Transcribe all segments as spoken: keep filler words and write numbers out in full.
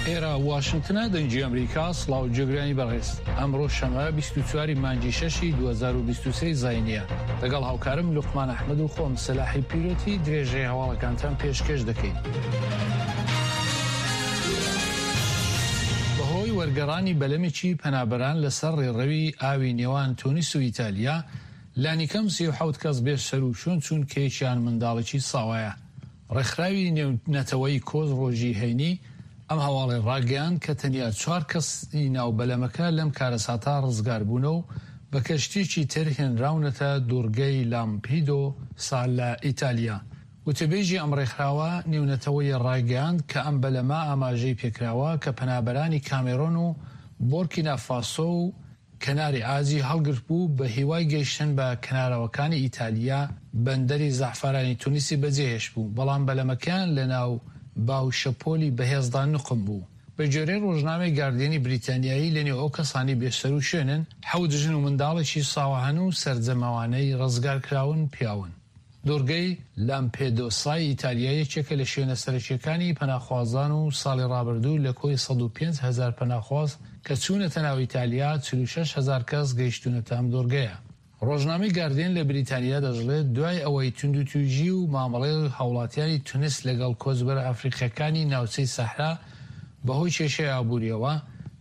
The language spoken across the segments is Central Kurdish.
ئێرە واشنگتنە، دەنگی ئەمریکا. سڵاو جێگرانی بەڕێز، ئەمڕۆ شەمە بیست و چوار مانگی شەشی دوو هەزار و بیست و سێ زاینیە. لەگەڵ هاوکارم لوقمان ئەحمەد و خۆم سەلاحی پیرۆتی درێژەی هەواڵەکانتان پێشکێش دەکەین. بەهۆی وەرگەڕانی بەلەمێکی پەنابەران لەسەر ڕێڕەوی ئاوی نێوان تونس و ئیتالیا، لانیکەم سی و حەوت کەس بێ سەروشوێن چوون کە یەکیان منداڵێکی ساوایە. ڕێکخراوی نێونەتەوەیی کۆچ ڕۆژی هەینی ئەم هەواڵی ڕاگەیاند کە تەنیا چوار کەسی ناو بەلەمەکە لەم کارەساتە ڕزگار بوونە و بە کەشتییەکی تر هێنراونەتە دوورگەی لامپیدۆسا لە ئیتالیا. وتەبێژی ئەم ڕێکخراوە نێونەتەوەیە ڕایگەیاند کە ئەم بەلەمە ئاماژەی پێکراوە کە پەنابەرانی کامێرۆن و بۆرکینا فاسۆ و کەناری عاجی هەڵگرت بوو بە هیوای گەیشتن بە کەنارەوەکانی ئیتالیا بەندەری زەعفەرانی تونسی بەجێهێشت بوو، بەڵام بەلەمەکەیان لەناو باو شەپۆلی بەهێزدا نوقم بوو. بە گوێرەی ڕۆژنامەی گاردیەنی بریتانیایی لەنێو ئەو کەسانەی بێسەروشوێنن حەوت ژن و منداڵێکی ساوا هەن و سەرجەم ئەوانەی ڕزگارکراون پیاون. دوورگەی لامپێدۆسای ئیتالیا یەکێکە لە شوێنە سەرەکیەکانی پەناخوازان و ساڵی ڕابردوو لە کۆی سەد و پێنج هەزار پەناخواز کە چوونەتە ناو ئیتالیا چل و شەش هەزار کەس گەیشتوونەتە ئەم دوورگەیە. ڕۆژنامەی گاردیەن لە بریتانیا دەشڵێت دوای ئەوەی توندوتیژی و مامەڵەی هاوڵاتیانی تونس لەگەڵ کۆچبەرە ئەفریقیەکانی ناوچەی سەحرا بەهۆی کێشەی ئابووریەوە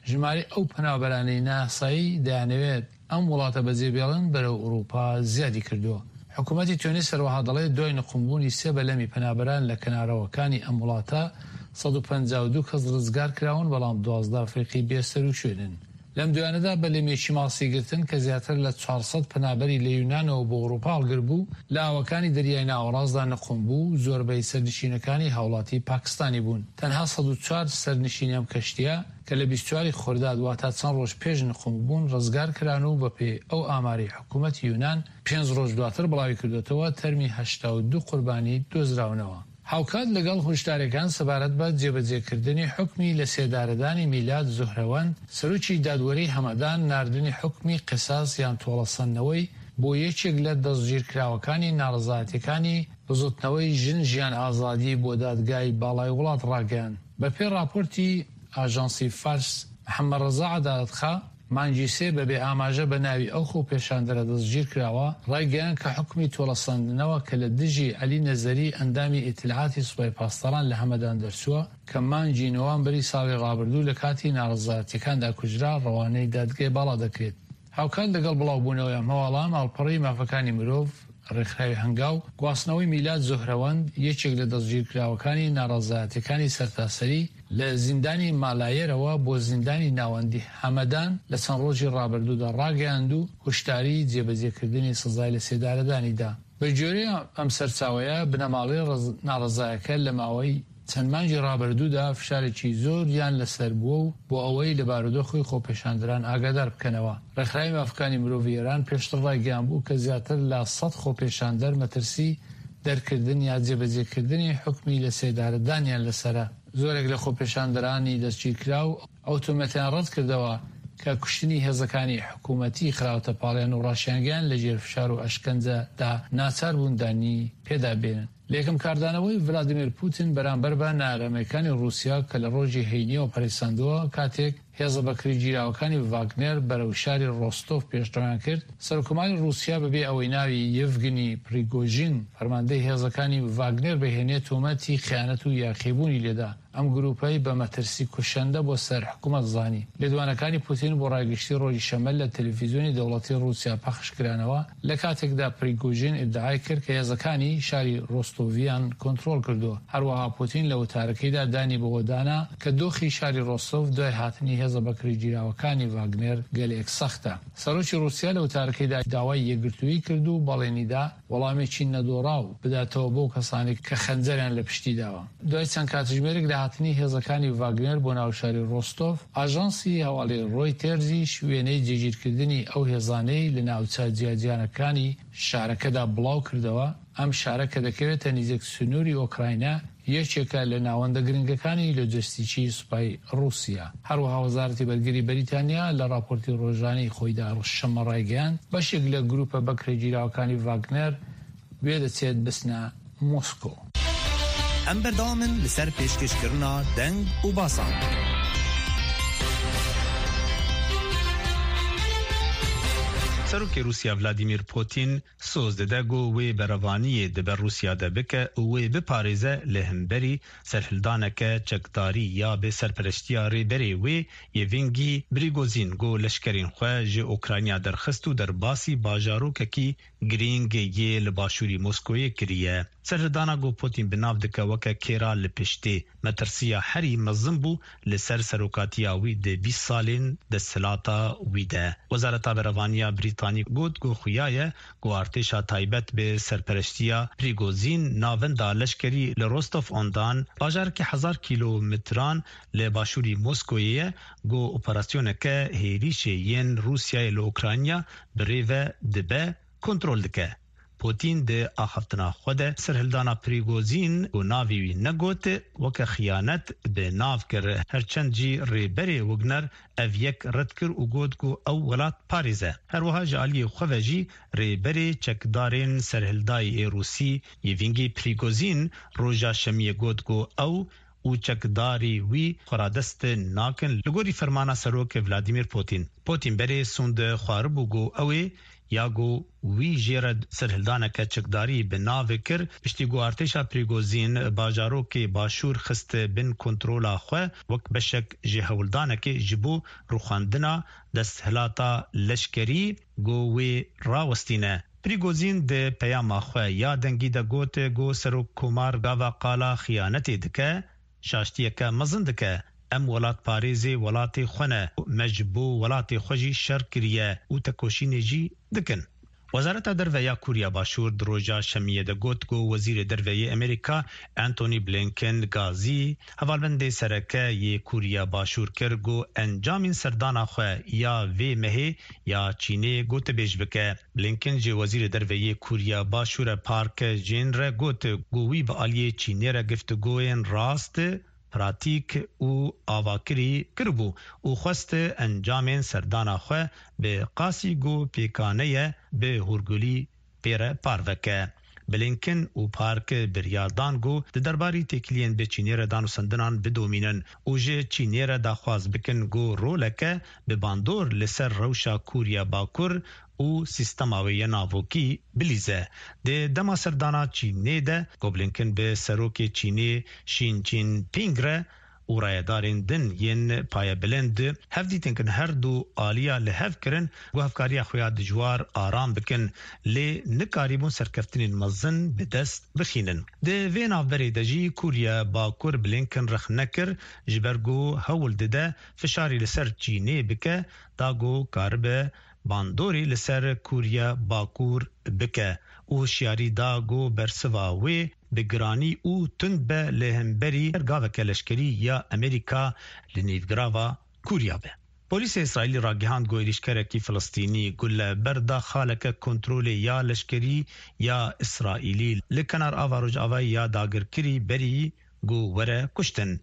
ژمارەی ئەو پەنابەرانەی ناسایی دەیانەوێت ئەم وڵاتە بەجێبێڵن بەرەو ئەوروپا زیادی کردووە. حکوومەتی تونس هەروەها دەڵێت دوای نقومبوونی سێ بەلەمی پەنابەران لە کەنارەوەکانی ئەم وڵاتە سەد و پەنجا و دوو کەس ڕزگار کراون، بەڵام دوازدە ئەفریقی بێسەروشوێنن. لەم دوایانەدا بەلەمێکی ماسیگرتن کە زیاتر لە چوار سەد پەنابەری لە یونانەوە بۆ ئەوروپا هەڵگر بوو لە ئاوەکانی دەریای ناوەڕاستدا نقوم بوو، زۆربەی سەرنشینەکانی هاوڵاتی پاکستانی بوون. تەنها سەد و چوار سەرنشینی ئەم کەشتیە کە لە بیست و چوار خرداد واتە چەند ڕۆژ پێش نقوم بوون ڕزگار کران و بەپێی ئەو ئامارەی حکوومەتی یونان پێنج ڕۆژ دواتر بڵاوی کردوێتەوە تەرمی هەشتا و دوو قوربانی دۆزراونەوە. هاوکات لەگەڵ هۆشداریەکان سەبارەت بە جێبەجێکردنی حوکمی لە سێدارەدانی میلاد زوهرەوەند، سەرۆکی دادوەری هەمەدان ناردنی حوکمی قیساس یان تۆڵەسەندنەوەی بۆ یەکێک لە دەستگیرکراوەکانی ناڕەزایەتیەکانی بزوتنەوەی ژن ژیان ئازادی بۆ دادگای باڵای وڵات ڕاگەیاند. بەپێی ڕاپۆرتی ئاژانسی فارس، محەممەد ڕەزا عەدالەتخا مانگی سێ بەبێ ئاماژە بە ناوی ئەو خۆپێشاندەرە دەستگیرکراوە ڕایگەیاند کە حوکمی تۆڵەسەندنەوە کە لە دژی عەلی نەزەری ئەندامی ئیتلاعاتی سوپای پاسداران لە هەمەدان دەرچووە کە مانگی نۆوامبری ساڵی ڕابردوو لە کاتی ناڕەزایەتیەکاندا کوژرا ڕەوانەی دادگای باڵا دەکرێت. هاوکات لەگەڵ بڵاوبوونەوەی ئەم هەواڵە ماڵپەڕی مافەکانی مرۆڤ ڕێکخراوی هەنگاو گواستنەوەی میلاد زوهرەوەند یەکێک لە دەستگیرکراوەکانی ناڕەزایەتیەکانی سەرتاسەری لە زیندانی مالایەرەوە بۆ زیندانی ناوەندی هەمەدان لە چەند ڕۆژی ڕابردوودا ڕاگەیاند و هۆشداری جێبەجێکردنی سزای لە سێدارەدانیدا. بە گوێرەی ئەم سەرچاوەیە بنەماڵەی ناڕەزایەکە لە ماوەی چەند مانگی ڕابردوودا فشارێکی زۆریان لەسەر بووە و بۆ ئەوەی لە بارودۆخی خۆپێشاندەران ئاگادار بکەنەوە. ڕێکخراوی مافەکانی مرۆڤی ئێران پێشتر ڕایگەیاند بوو کە زیاتر لە سەد خۆپێشاندەر مەترسی دەرکردن یا جێبەجێکردنی حوکمی لە سێدارەدانیان لەسەرە. زۆرێک لە خۆپێشاندەرانی دەستگیرکراو ئەو تۆمەتیان ڕەت کردەوە کە کوشتنی هێزەکانی حکوومەتی خراوەتە پاڵیان و ڕاشیانگەیان لەژێر فشار و ئەشکەنجەدا ناچار بوون دانی پێدا بێنن. لە یەکەم کاردانەوەی ڤلادیمیر پوتین بەرامبەر بە نائارامیەکانی ڕووسیا کە لە ڕۆژی هەینیەوە پەرەیسەندووە کاتێک هێزە بەکرێگیراوەکانی ڤاگنێر بەرەو شاری ڕۆستۆف پێشڕەویان کرد، سەرۆککۆماری ڕووسیا بەبێ ئەوەی ناوی یەڤگنی پریگۆژین فەرماندەی هێزەکانی ڤاگنێر بهێنێت تۆمەتی خیانەت و یاخیبوونی لێدا. ئەم گروپەی بە مەترسی کوشندە بۆ سەر حکوومەت زانی. لێدوانەکانی پوتین بۆ ڕای گشتی ڕۆژی شەممە لە تەلەفیزیۆنی دەوڵەتی ڕووسیا پەخش کرانەوە لە کاتێکدا پریگۆژین ئیدعای کرد کە هێزەکانی شاری ڕۆستۆڤیان کۆنترۆڵ کردووە. هەروەها پوتین لە وتارەکەیدا دانی بەوەدانا کە دۆخی شاری ڕۆستۆڤ دوای هاتنی هێزە بەکرێگیراوەکانی ڤاگنێر گەلێک سەختە. سەرۆکی ڕووسیا لە وتارەکەیدا داوای یەکگرتوویی کرد و بەڵێنیدا وەڵامێکی نەدۆڕاو بداتەوە بۆ کەسانێک کە خەنجەریان لە پشتی داوە. دوای چەند کاتژمێرێک لە هاتنی هێزەکانی ڤاگنێر بۆ ناو شاری ڕۆستۆڤ، ئاژانسی هەواڵی ڕۆیتێرزیش وێنەی جێگیرکردنی ئەو هێزانەی لە ناوچە جیاجیانەکانی شارەکەدا بڵاو کردەوە. ئەم شارە کە دەکەوێتە نزیک سنووری ئۆکراینا یەکێکە لە ناوەندە گرنگەکانی لۆجستیکی سوپای ڕووسیا. هەروەها وەزارەتی بەرگری بەریتانیا لە ڕاپۆرتی ڕۆژانەی خۆیدا شەممە ڕایگەیاند بەشێک لە گروپە بەکرێگیراوەکانی ڤاگنەر وێدەچێت بچنە مۆسکۆ. ئەم بەردەوامن لەسەر پێشکەشکردنا دەنگ و باسان. سەرۆکی رووسیا ڤلادیمیر پوتین سۆز دەدە گۆ وێ بەرەڤانییە دەبە رووسیا دەبکە و وێ بپارێزە لە هەمبەری سەرهلدانەکە چەکداری یا بێ سەرپەرشتیا ڕێبەرێ وێ یەڤینگی بریگۆزین گۆ لەشکرین خوێ ji ئۆکرانیا دەرخست و دەرباسی باژارۆکەکی گرینگ یê li başûrî Moskoyê kiriye. Serhildana got Putin bi nav dike weke kêra li piştê. Metirsiya herî mezin bû li ser serokatiya wî di bîst salên desthilata wî de. Wezareta Berevaniya Brîtanî got ku xuya ye ku artêşa taybet bi serpereştiya Prigozhin navenda leşkerî li Rostov on Don bajarekî hezar kîlometran li başûrî Moskoyê ye ku operasyoneke hêrişê yên Rûsyayê li Ukrayna bi rê ve dibe kontrol dike. Putin di axaftina xwe de serhildana Prigozhin û navê wî negot weke xiyanet bi nav kir. Herçend jî rêberê Wagner ev yek red kir û got ku ew welat parêze. Herwiha ji aliyê xwe ve jî rêberê çekdarên serhildayê ê Rûsî Yevgeny Prigozhin roja şemiyê got ku ew û çekdarî wî xwe radest nakin li gorî fermana serok Vladimir Putin. Putin berê sûnd xwaribû ku ew ê ya ku wî jê re serhildaneke çekdarî bi navê kir piştî ku artêşa Prigozhin bajarokê başûr xist bin kontrola xwe wek beşek ji hewldanekê ji bo rûxandina desthilata leşkerî ku wê rawestîne. Prigozhin di peyama xwe ya dengî de got ku serokkomar gava qala xiyanetê dike şaştiyeke mezin dike. Em welatparêzê welatê xwe ne, me ji bo welatê xwe jî şer kiriye û tekoşînê jî dikin. Wezareta Derve ya Koriya Başûr di roja şemiyê de got ku Wezîrê Derve yê Amerîka Antony Blinken gazî hevalbendê sereke yê Koriya Başûr kir ku encamên serdana xwe ya vê mehê ya Çînê gotebêj bike. Blinken ji Wezîrê Derve yê Koriya Başûr Park Jin re got ku wî bi aliyê Çînê re giftigoyên rast pratîk û avakirî kiribû û xwest encamên serdana xwe bi qasî ku pêkaneye bi hûrgulî pê re parveke. Blinken û Park biryar dan ku di derbarî têkiliyên bi Çînê re danûstandinan bidomînin û ji Çînê re daxwaz bikin ku roleke bi bandor li ser rewşa Koriya Bakur û sîstema wê ya navokî bilîze. Di dema serdana Çînê de ku Blinken bi serokê Çînê Xi Jinping re û rayedarên din yên payebilind hevdîtin kin her du aliya li hev kirin ku hevkariya xwe ya dijwar aram bikin lê nikarîbûn serkeftinên mezin bi dest bixînin. Di vê navberê de jî Koriya Bakur Blinken rexne kir ji ber ku hewl dide fişarî li ser Çînê bike da ku karibe bandorê li ser Koriya Bakur bike û hişyarî da ku bersiva wê bi giranî û tund be li hemberî her gaveke leşkerî ya Amerîka li nîvgirava Koriya be. Polîsê İsraîlî ragihand ku êrîşkerekî Filistînî gule berda xaleke kontrolê ya leşkerî ya İsraîlî li kenar ava rojavayê ya dagirkirî berî ku were kuştin.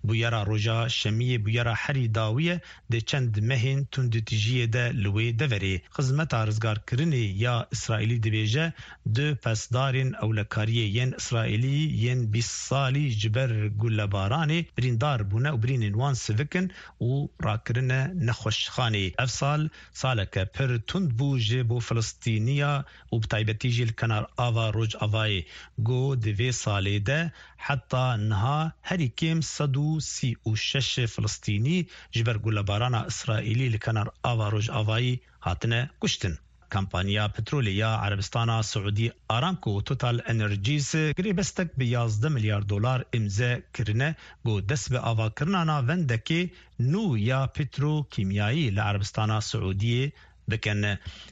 Bûyera roja şemiyê bûyera herî dawî di çend mehên tundûtîjiyê de li wê deverê. Xizmeta rizgarkirinê ya İsraîlî dibêje du pesdarên ewlekariyê yên İsraîlî yên bîst salî ji ber gulebaranê birîndar bûne û birînên wan sivikin û rakirine nexweşxanê. Ev sal saleke pir tund bû ji bo Filistîniya û bi taybetî jî li kenar ava rojavayê ku di vê salê de heta niha herî kêm sed û sî û şeş Filistînî ji ber gulebarana İsraîlî li kenar ava rojavayê hatine kuştin. Kampanya petrolê ya Erebistana Siûdî Aramco Total Energies girêbestek bi yazdeh milyar dolar îmze kirine ku dest bi avakirina navendekê nû ya petrokîmyayî li Erebistana Siûdiyê bikin.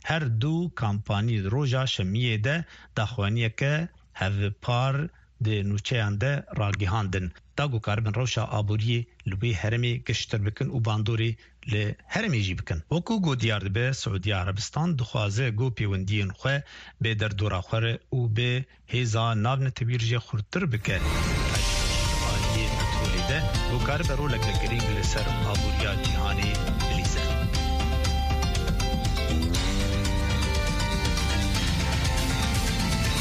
Her du kampanî roja şemiyê de daxuyaniyeke hevpar di nûçeyan de ragihandin. Da ku karibin rewşa aboriyê li wê herêmê giştir bikin û bandorê li herêmê jî bikin. Wekû ku diyar dibe Siûdiya Erebistan dixwaze ku pêwendiyên xwe bi derdora xwe re û bi hêza navnetewî jê xurttir bike. Aliyê petrolê de ku karibe roleke girîng li ser aboriya cîhanê bilîze.